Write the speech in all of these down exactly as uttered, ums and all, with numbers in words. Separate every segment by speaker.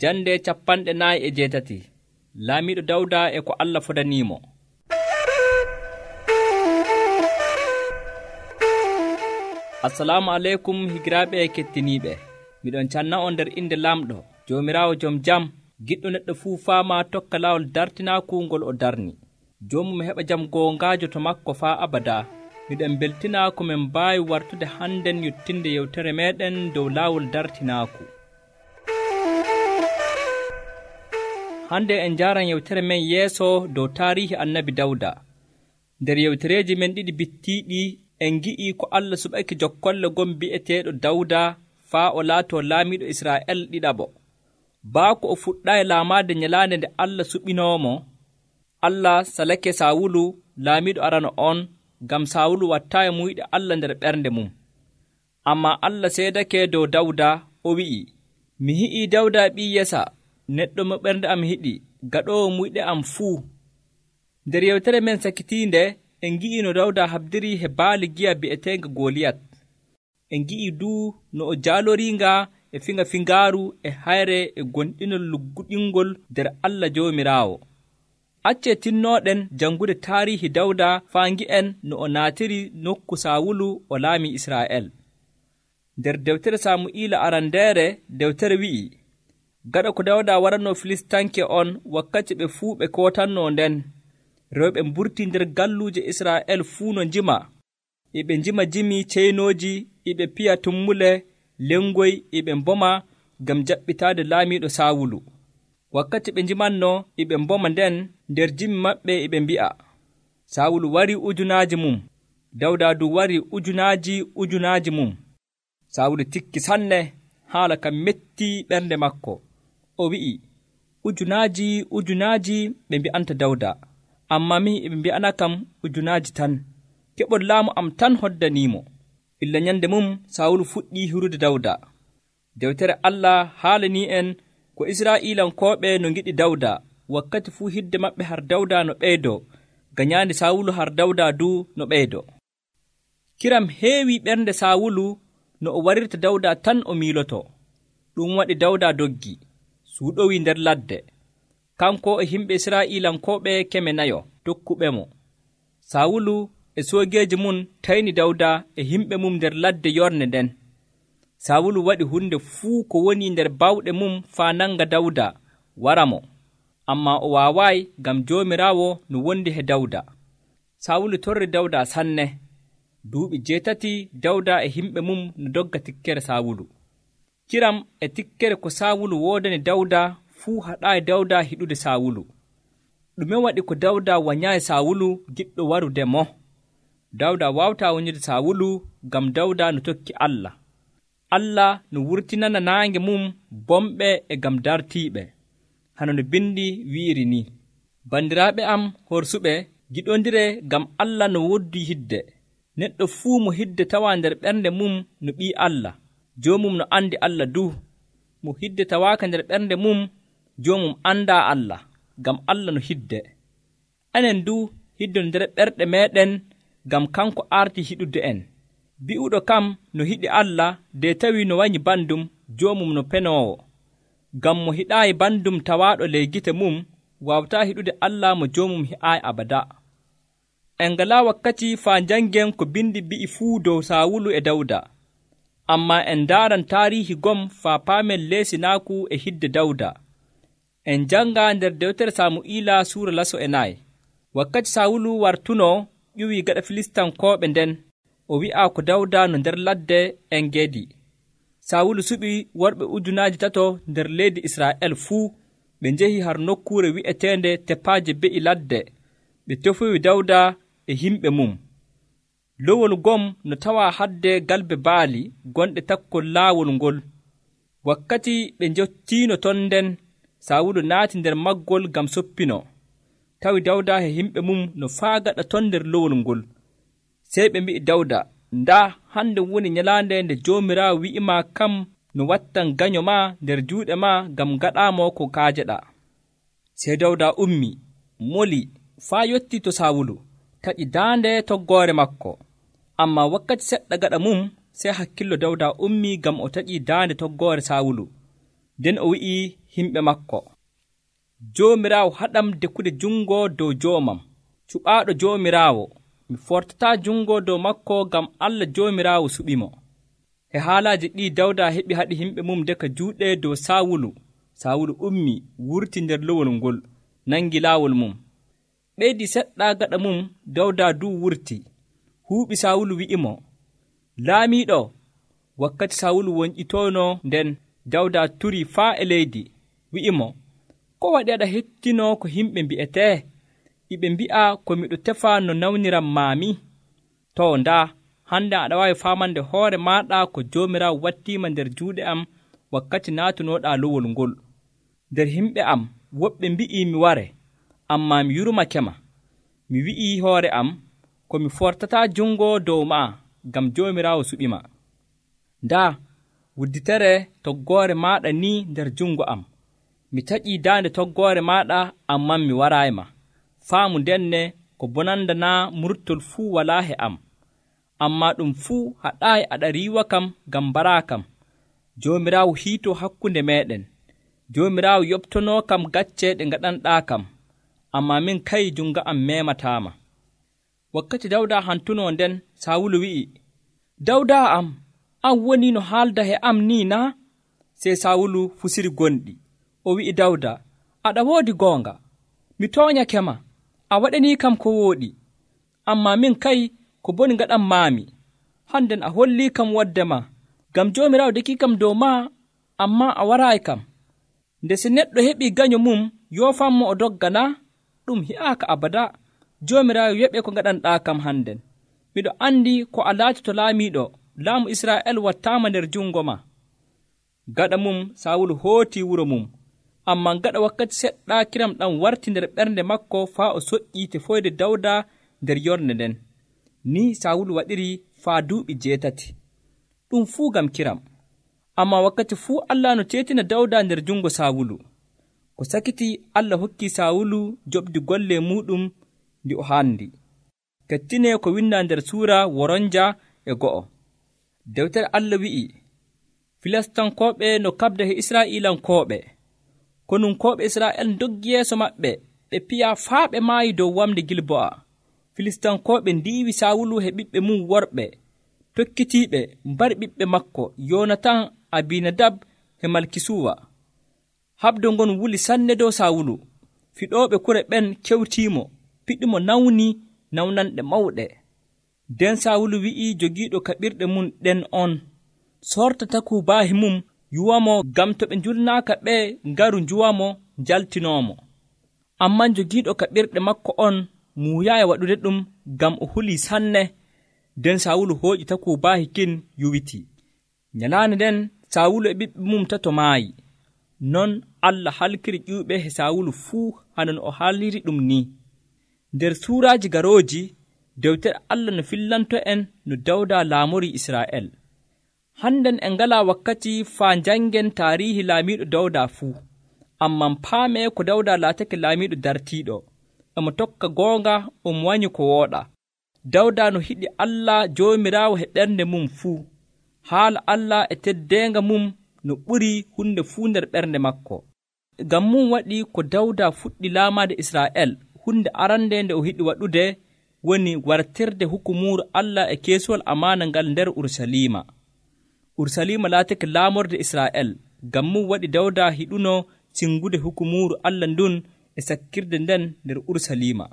Speaker 1: Jande capanɗe naayi e jeetati. Laamiiɗo Dawda e ko Allah fodaniimo. Assalamu aleykum higiraaɓe e kettiniiɓe. Miɗon canna on nder inde Lamɗo, Joomiraawo jom jam, giɗɗo neɗɗo fuu faama tokka laawol dartinaaku ngol o darni. Joomum heɓa jam goongaajo to makko faa abadaa. Miɗen beltinaa ko min mbaawi wartude hannden yottinde yewtere meeɗen dow laawol dartinaaku. Hande en njaaran yewtere men yeeso dow taarihi annabi Dawda. Nder yewtereeji men ɗiɗi bittiiɗi en ngi'ii ko Allah suɓake jokkolle gon bi'eteeɗo Dawda faa o laatoo laamiiɗo Israa'el ɗiɗaɓo. Baako o fuɗɗaayi laamaade nyalaande nde Allah suɓinoomo, Allah salake Saawulu laamiiɗo arano on, ngam Saawulu wattaayi muyɗe Allah nder ɓernde mum. Ammaa Allah seedake dow Dawda, o wi'i, mi hi'ii Dawda ɓii Yesa, neɗɗo mo ɓernde am hiɗi, gaɗoowo muyɗe am fuu. Nder yewtere men sakitiinde, en ngi'ii no Dawda habdirii he baali giya bi'eteenga Goliyat. En ngi'ii duu no o jaaloriinga e fiŋa fingaaru e hayre e gonɗinol lugguɗingol nder Allah Joomiraawo. Accee tinnooɗen janngude taarihi Dawda faa ngi'en no o naatiri nokku Saawulu o laami Israa'el. Nder dewtere Saamu'iila arandeere, dewtere wi'i, gaɗa ko Dawda waranoo Filistanke on wakkati ɓe fuu ɓe kootannoo nden, rewɓe mburtii nder galluuje Israa'el fuu no njima, e ɓe njima jimi ceynooji, e ɓe piya tummule, lengoy, e ɓe mboma ngam jaɓɓitaade laamiiɗo Saawulu. Wakkati ɓe njimannoo e ɓe mboma nden, nder jimi maɓɓe e ɓe mbi'a, Saawulu warii ujunaaji mum, Dawda du warii ujunaaji ujunaaji mum. Saawulu tikki sanne, haala kam mettii ɓernde makko. O wi'i, ujunaaji ujunaaji ɓe mbi'anta Dawda, ammaa mihi e ɓe mbi'ana kam ujunaaji tan. Keɓol laamu am tan hoddaniimo. Illa nyande mum Saawulu fuɗɗii hirude Dawda. Dewtere Allah haalanii en ko Israa'iilankooɓe no ngiɗi Dawda, wakkati fuu hidde maɓɓe har Dawda no ɓeydoo, gañaandi Saawulu har Dawda duu no ɓeydoo. Kiram heewi ɓernde Saawulu no o warirta Dawda tan o miilotoo. Ɗum waɗi Dawda doggi, suuɗowii nder ladde, kanko e himɓe Israa'iilankooɓe keme nayo tokkuɓe mo. Saawulu e soogeeji mum tayni Dawda e himɓe mum nder ladde yorne nden. Saawulu waɗi hunde fuu ko woni nder bawɗe mum faa nanga Dawda wara mo, ammaa o waawaayi ngam Joomiraawo no wondi he Dawda. Saawulu torri Dawda sanne. Duuɓi jeetati Dawda e himɓe mum no dogga tikkere Saawulu. Kiram e tikkere ko Saawulu woodani Dawda fuu haɗaayi Dawda hiɗude Saawulu. Ɗume waɗi ko Dawda wanyaayi Saawulu giɗɗo warude mo? Dawda waawataa wonyude Saawulu ngam Dawda no tokki Allah. Allah no wurtinana naange mum bomɓe e ngam dartiiɓe. Hano no bindi wi'iri ni, bandiraaɓe am horsuɓe, giɗondire ngam Allah no woddii hidde. Neɗɗo fuu mo hidde tawaa nder ɓernde mum no ɓii Allah, joomum no andi Allah duu. Mo hidde tawaaka nder ɓernde mum, joomum andaa Allah, ngam Allah no hidde. Enen duu hiddon nder ɓerɗe meeɗen, ngam kanko arti hiɗude en. Bi'uɗo kam no hiɗi Allah, de tawii no wanyi bandum, joomum no penoowo. Ngam mo hiɗaayi bandum tawaaɗo ley gite mum, waawataa hiɗude Allah mo joomum hi'aayi abada. En ngalaa wakkati faa njanngen ko bindi bi'i fuu dow Saawulu e Dawda. Ammaa en ndaaran taariihi gom faa paamen leesinaaku e hidde Dawda. En njannga nder dewtere Saamu'iila suura laso e nayi. Wakkati Saawulu wartunoo ƴuwii gaɗa Filistankooɓe nden, o wi'aa ko Dawda no nder ladde En Geedi. Saawulu suɓi worɓe ujunaaji tato nder leydi Israa'el fuu, ɓe njehi har nokkuure wi'eteende Tepaaje Be'i Ladde, ɓe tefoyi Dawda e himɓe mum. Lowol gom no tawaa hadde galbe baali gonɗe takkol laawol ngol. Wakkati ɓe njottiino ton nden, Saawulu naati nder maggol ngam soppino, tawi Dawda e himɓe mum no faagaɗa ton nder lowol ngol. Sey ɓe mbi'i Dawda, ndaa hande woni nyalaande nde Joomiraawo wi'imaa kam no wattan gaño ma nder juuɗe ma ngam gaɗaamo ko kaajeɗaa. Sey Dawda ummi, moli, faa yottii to Saawulu, taƴi daande toggoore makko. Ammaa wakkati seɗɗa gaɗa mum, sey hakkillo Dawda ummi ngam o taƴii daande toggoore Saawulu. nden o wi'i himɓe makko, Joomiraawo haɗam dekkude jungo dow joomam, cuɓaaɗo Joomiraawo, mi fortataa jungo dow makko ngam Allah Joomiraawo suɓimo. He haalaaji ɗi Dawda heɓi haɗi himɓe mum deka juuɗe dow Saawulu. Saawulu ummi wurti nder lowol ngol, nangi laawol mum. Ɓeydi seɗɗa gaɗa mum Dawda du wurti. Huuɓi Saawulu wi'imo, Laamiiɗo. Wakkati Saawulu wonƴitoono nden, Dawda turii faa e leydi, wi'imo, ko waɗi aɗa hettinoo ko yimɓe mbi'etee? Iɓe mbi'a ko miɗo tefa no nawniram maami? To ndaa, hande aɗa waawi faamande hoore maaɗa ko Joomiraawo wattiima nder juuɗe am wakkati naatunooɗaa lowol ngol. Nder yimɓe am woɓɓe mbi'ii mi ware, ammaa mi yurmakema. Mi wi'ii hoore am ko mi fortataa jungo dow maa ngam Joomiraawo suɓima. Ndaa, wudditere toggoore maaɗa ni nder jungo am. Mi taƴii daande toggoore maaɗa, ammaa mi waraayma. Faamu ndenne ko bonanda naa murtol fuu walaa he am. Ammaa ɗum fuu haɗaayi aɗa riiwa kam ngam mbaraa kam. Joomiraawo hiitoo hakkunde meeɗen. Joomiraawo yoɓtonoo kam gacce ɗe ngaɗanɗaa kam. Ammaa min kay jungo am meemataama. Wakkati Dawda hantunoo nden, Saawulu wi'i, Dawda am, an woni no haalda he am ni naa? Sey Saawulu fusiri gonɗi. O wi'i Dawda, aɗa woodi goonga. Mi tooñakema, a waɗanii kam ko wooɗi. Ammaa min kay ko boni ngaɗan maami. Hannden a hollii kam wodde ma, ngam Joomiraawo dekii kam dow maa, ammaa a waraayi kam. Nde si neɗɗo heɓii gaño mum, yoofanmo o dogga naa? Ɗum hi'aaka abada. Joomiraawo yoɓe ko ngaɗanɗaa kam hannden. Miɗo anndi ko a laatito laamiiɗo, laamu Israa'el wattaama nder jungo ma. Gaɗa mum Saawulu hootii wuro mum, ammaa gaɗa wakkati seɗɗa kiram ɗam warti nder ɓernde makko faa o soƴƴii tefoyde Dawda nder yornde nden. Ni Saawulu waɗiri faa duuɓi jeetati. Ɗum fuu ngam kiram. Ammaa wakkati fuu Allah no teetina Dawda nder jungo Saawulu. Ko sakiti Allah hokkii Saawulu joɓdi golle muɗum ndi o haandi. Kettinee ko windaa nder suura woronja e go'o. Dewtere Allah wi'i, Filastankooɓe no kaɓda he Israa'iilankooɓe. Konunkooɓe Israa'el doggi yeeso maɓɓe, ɓe piyaa faa ɓe maayi dow wamde Gilbo'a. Filistankooɓe ndiiwi Saawulu he ɓiɓɓe mum worɓe, tokkitiiɓe mbari ɓiɓɓe makko Yoonatan, Abinadab e Malkisuwa. Habdo ngon wuli sanne dow Saawulu. Fiɗooɓe kure ɓen kewtiimo, piɗimo nawni nawnanɗe mawɗe. Nden Saawulu wi'i jogiiɗo kaɓirɗe mum ɗen on, sorta takubaahi mum yuwamo ngam to ɓe njulnaaka ɓe ngaru njuwamo njaltinoomo. Amman jogiiɗo kaɓirɗe makko on muuyaayi waɗude ɗum ngam o hulii sanne. Nden Saawulu hooƴi takubaahi kin yuwiti. Nyalaande nden Saawulu e ɓiɓɓe mum tato maayi. Non Allah halkiri ƴuuɓe he Saawulu fuu hanon o haaliri ɗum ni. Nder suuraaji garooji, dewtere Allah no fillanto en no Dawda laamori Israa'el. Hannden en ngalaa wakkati faa njanngen taariihi laamiiɗo Dawda fuu. Amman paamee ko Dawda laatake laamiiɗo dartiiɗo. Emo tokka goonga, omo wanyi ko wooɗa. Dawda no hiɗi Allah Joomiraawo he ɓernde mum fuu. Haala Allah e teddeenga mum no ɓuri hunde fuu nder ɓernde makko. Ngam mum waɗi ko Dawda fuɗɗi laamaade Israa'el, hunde arande nde o hiɗi waɗude woni wartirde hukumuuru Allah e keesuwal amaana ngal nder Urusalima. Urusalima laatake laamorde Israa'el, ngam mum waɗi Dawda hiɗuno singude hukumuuru Allah ndun e sakkirde nden nder Urusalima.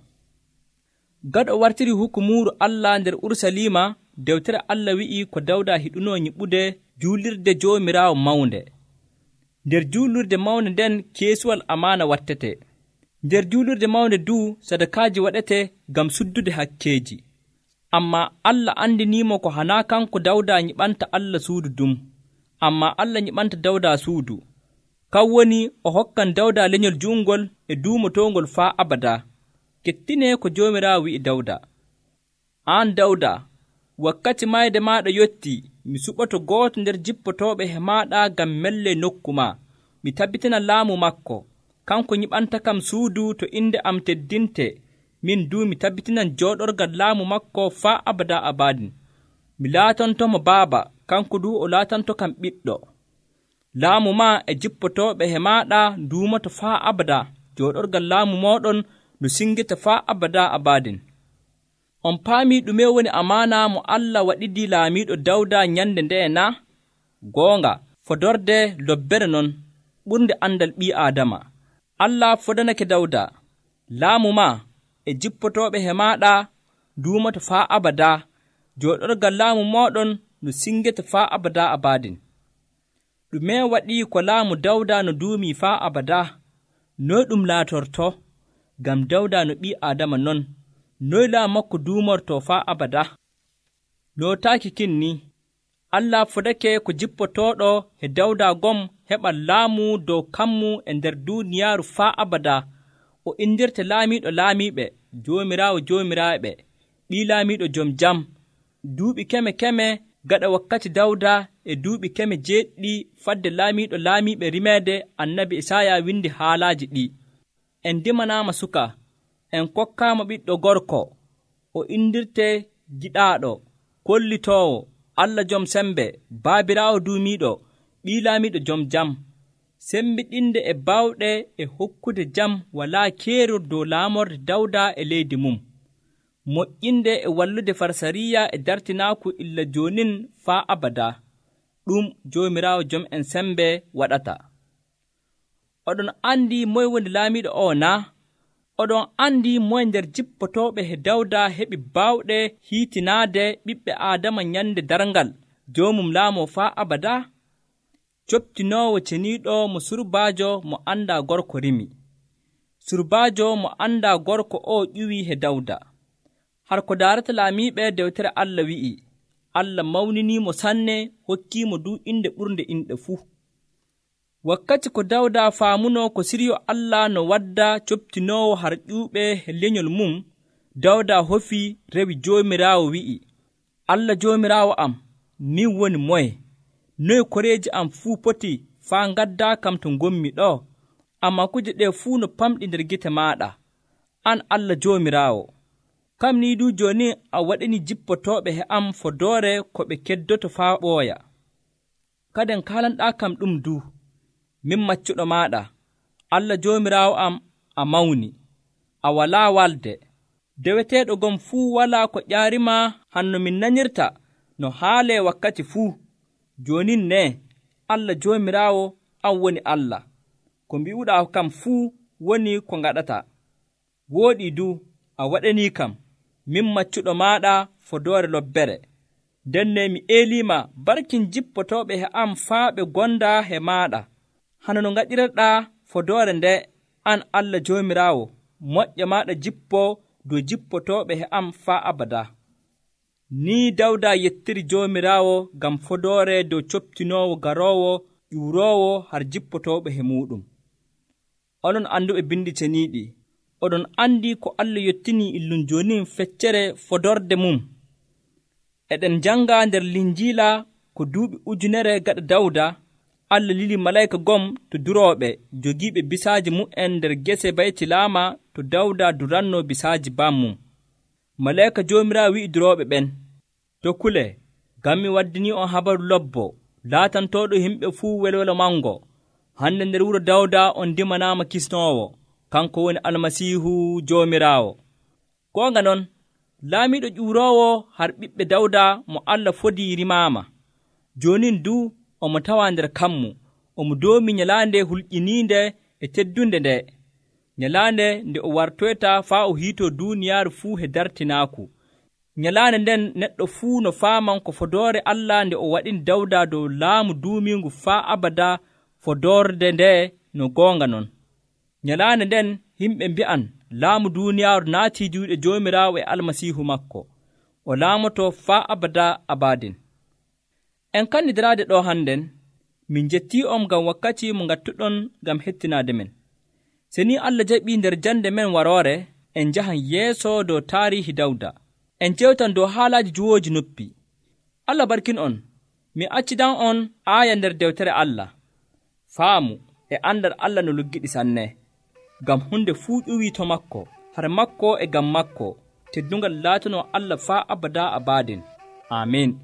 Speaker 1: Gaɗo wartiri hukumuuru Allah nder Urusalima, dewtere Allah wi'i ko Dawda hiɗuno nyiɓude juulirde Joomiraawo mawnde. Nder juulirde mawnde nden keesuwal amaana wattete. Nder juulirde mawnde duu sadakaaji waɗete ngam suddude hakkeeji. Ammaa Allah andiniimo ko hanaa kanko Dawda nyiɓanta Allah suudu ɗum. Ammaa Allah nyiɓanta Dawda suudu. Kan woni o hokkan Dawda lenyol juungol e duumotoongol faa abada. Kettinee ko Joomiraawo wi'i Dawda. Aan Dawda, wakkati mayde maaɗa yotti, mi suɓoto gooto nder jippotooɓe he maaɗa ngam melle nokku maa. Mi tabbitina laamu makko. Kanko nyiɓanta kam suudu to inde am teddinte. Min duu mi tabbitinan jooɗorgal laamu makko faa abada abadin. Mi laatantomo baaba, kanko duu o laatanto kam ɓiɗɗo. laamu maa e jippotooɓe he maaɗa nduumoto faa abada, jooɗorgal laamu mooɗon ndu singita faa abada abadin. On paamii ɗume woni amaana mo Allah waɗidii laamiiɗo Dawda nyande nde'e na? Goonga, fodorde lobbere non ɓurnde andal ɓii Aadama. Allah fodanake Dawda, laamu maa e jippotooɓe he maaɗa nduumoto faa abada, jooɗorgal laamu mooɗon ndu singeta faa abada abadin. Ɗume waɗii ko laamu Dawda no duumii faa abada? Noy ɗum laatorto? Ngam Dawda no ɓii Aadama non, noy laamu makko duumorto faa abada? Nootaaki kin ni, Allah fodake ko jippotooɗo he Dawda gom heɓa laamu dow kammu e nder duuniyaaru faa abada, o indirte laamiiɗo laamiiɓe, joomiraawo joomiraaɓe, ɓii laamiiɗo jom jam, duuɓi keme keme gaɗa wakkati Dawda e duuɓi keme jeeɗiɗi fadde laamiiɗo laamiiɓe rimeede. Annabi Isaaya windi haalaaji ɗi. En ndimanaama suka, en kokkaama ɓiɗɗo gorko, o indirte giɗaaɗo, kollitoowo, Allah jom sembe, baabiraawo duumiiɗo, ɓii laamiiɗo jom jam. Sembiɗinde e baawɗe e hokkude jam walaa keerol dow laamorde Dawda e leydi mum. Moƴƴinde e wallude Farsariya e dartinaaku illa joonin faa abada. Ɗum Joomiraawo jom en sembe waɗata. Oɗon andi moy woni laamiiɗo o na? Oɗon andi moy nder jippotooɓe he Dawda heɓi baawɗe hiitinaade ɓiɓɓe Aadama nyande darngal joomum laamoo faa abada? Coptinoowo ceniiɗo mo surbaajo mo anndaa gorko rimi. Surbaajo mo anndaa gorko o ƴuwii he Dawda. Har ko daarata laamiiɓe dewtere Allah wi'i, Allah mawniniimo sanne, hokkiimo du inde ɓurnde inɗe fuu. Wakkati ko Dawda faamuno ko siryo Allah no wadda coptinoowo har ƴuuɓe he lenyol mum, Dawda hofii rewi Joomiraawo wi'i, Allah Joomiraawo am, min woni moye? Noy koreeji am fuu poti faa ngaddaa kam to ngommi ɗo? Ammaa kuje ɗe fuu no pamɗi nder gite maaɗa, an Allah Joomiraawo. Kam ni du jooni a waɗini jippotooɓe he am fodoore ko ɓe keddoto faa ɓooya. Kaden kaalanɗaa kam ɗum du, min maccuɗo maaɗa, Allah Joomiraawo am, a mawni, a walaa walde. Deweteeɗo gom fuu walaa ko ƴaarima hanno min nanyirta no haalee wakkati fuu. Joonin ne, Allah Joomiraawo, an woni Allah. Ko mbi'uɗaa kam fuu woni ko ngaɗata. Wooɗii du, a waɗanii kam, min maccuɗo maaɗa fodoore lobbere. Denne mi eeliima barkin jippotooɓe he am faa ɓe gonda he maaɗa. Hano no ngaɗirɗaa fodoore nde, an Allah Joomiraawo, moƴƴa maaɗa jippo dow jippotooɓe he am faa abada. Ni Dawda yettiri Joomiraawo ngam fodoore dow coptinoowo garoowo ƴuuroowo har jippotooɓe he muuɗum. Onon anduɓe bindi ceniiɗi, oɗon andi ko Allah yettinii illum joonin feccere fodorde mum. Eɗen janga nder Linjiila ko duuɓi ujunere gaɗa Dawda, Allah lili malayka gom to durooɓe jogiiɓe bisaaji mu'en nder gese baytilaama to Dawda duranno bisaaji bammum. Malayka Joomiraawo wi'i durooɓe ɓen, tokkule, ngam mi waddini on habaru lobbo laatantooɗo yimɓe fuu welwelo mango. Hande nder wuro Dawda on dimanaama kisnoowo, kanko woni Almasiihu Joomiraawo. Goonga non, laamiiɗo ƴuuroowo har ɓiɓɓe Dawda mo Allah fodii rimaama. Joonin du omo tawaa nder kammu, omo doomi nyalaande hulƴiniinde e teddunde nde, nyalaande nde o wartoyta faa o hiitoo duuniyaaru fuu he dartinaaku. Nyalaande nden neɗɗo fuu no faaman ko fodoore Allah nde o waɗini Dawda dow laamu duumiingu faa abada fodorde nde no goonga non. Nyalaande nden yimɓe mbi'an laamu duuniyaaru naatii juuɗe Joomiraawo e Almasiihu makko, o laamoto faa abada abadin. En kannidiraade ɗo hannden, min jettii on ngam wakkati mo ngattuɗon ngam hettinaade men. Se ni Allah jaɓii nder jande men waroore, en njahan yeeso dow taariihi Dawda. En jewtan dow haalaaji juwooji noppi. Allah barkin on, mi accidan on aaya nder dewtere Allah. Faamu e andal Allah no luggiɗi sanne, ngam hunde fuu ƴuwii to makko, har makko e ngam makko, teddungal laatano Allah faa abada abadin. Amin.